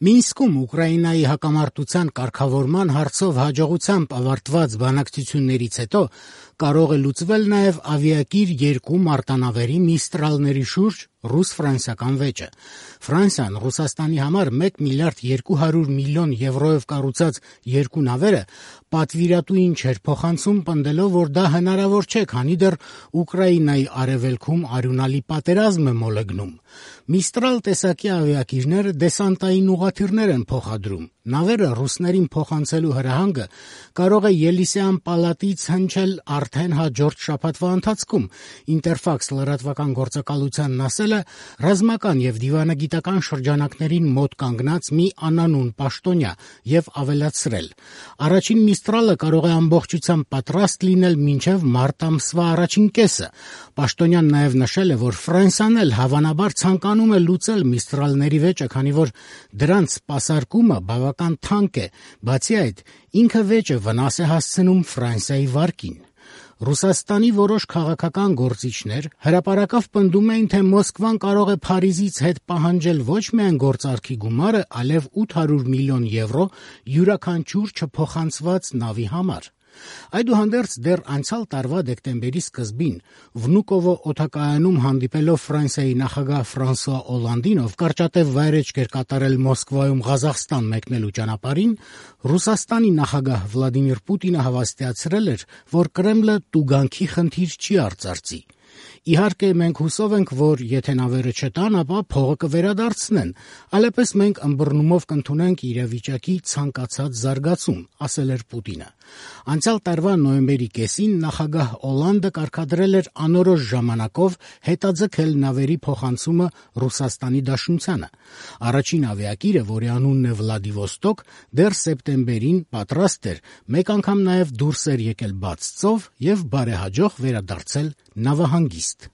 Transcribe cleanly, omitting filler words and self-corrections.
Մինսկում Ուկրաինայի հակամարտության կարգավորման հարցով հաջողությամբ ավարտված բանակցություններից հետո կարող է լուծվել նաև ավիակիր 2 մարտանավերի Միստրալների շուրջ ռուս-ֆրանսիական վեճը։ Ֆրանսիան Ռուսաստանի համար 1 միլիարդ 200 միլիոն եվրոյով կառուցած 2 նավերը պատվիրատուին չէր փոխանցում, պնդելով, որ դա հնարավոր չէ, քանի դեռ Ուկրաինայի արևելքում արյունալի պատերազմ է մոլեգնում։ Միստրալ տեսակի ավիակիրները դեսանտային ուղղաթիռներ են փոխադրում։ Նավերը ռուսներին փոխանցելու հրահանգը կարող է Ելիսեյան պալատից հնչել արդեն հաջորդ շաբաթվա ընթացքում։ Ինտերֆաքս լրատվական գործակալությանն ասել է ռազմական եւ դիվանագիտական շրջանակներին մոտ կանգնած մի անանուն պաշտոնյա եւ ավելացրել. առաջին Միստրալը կարող է ամբողջությամբ պատրաստ լինել մինչեւ մարտ ամսվա առաջին կեսը։ Պաշտոնյան նաեւ նշել է, որ Ֆրանսիան էլ հավանաբար ցանկանում է լուծել Միստրալների վեճը, քանի որ դրանց սպասարկումը բավական թանկ է։ Բացի այդ, ինքը վեճը վնաս է հասցնում Ֆրանսիայի վարկին։ Ռուսաստանի որոշ քաղաքական գործիչներ հրապարակավ պնդում էին, թե Մոսկվան կարող է Փարիզից հետ պահանջել ոչ միայն գործարքի գումարը, այլև 800 միլիոն եվրո յուրաքանչյուր չփոխանցված նավի համար։ Այդուհանդերձ դեռ անցյալ տարվա դեկտեմբերի սկզբին Վնուկովո օդակայանում հանդիպելով Ֆրանսիայի նախագահ Ֆրանսուଆ Օլանդին, ով կարճատև վայրէջք էր կատարել Մոսկվայում Ղազախստան մեկնելու ճանապարհին, Ռուսաստանի նախագահ Վլադիմիր Պուտինը հավաստիացրել էր, որ Կրեմլը տուգանքի խնդիր չի արծարծի։ Իհարկե, մենք հուսով ենք, որ եթե նավերը չտան, ապա փողը կվերադարձնեն, այլապես մենք ըմբռնումով կընդունենք իրավիճակի ցանկացած զարգացում, ասել էր Պուտինը։ Անցյալ տարվա նոյեմբերի կեսին նախագահ Օլանդը կարգադրել էր անորոշ ժամանակով հետաձգել նավերի փոխանցումը Ռուսաստանի Դաշնությանը։ Առաջին ավիակիրը, որի անունն է Վլադիվոստոկ, դեռ սեպտեմբերին պատրաստ էր մեկ անգամ նաև դուրս էր եկել բաց ծով եւ բարեհաջող վերադարձել նավահանգիստ։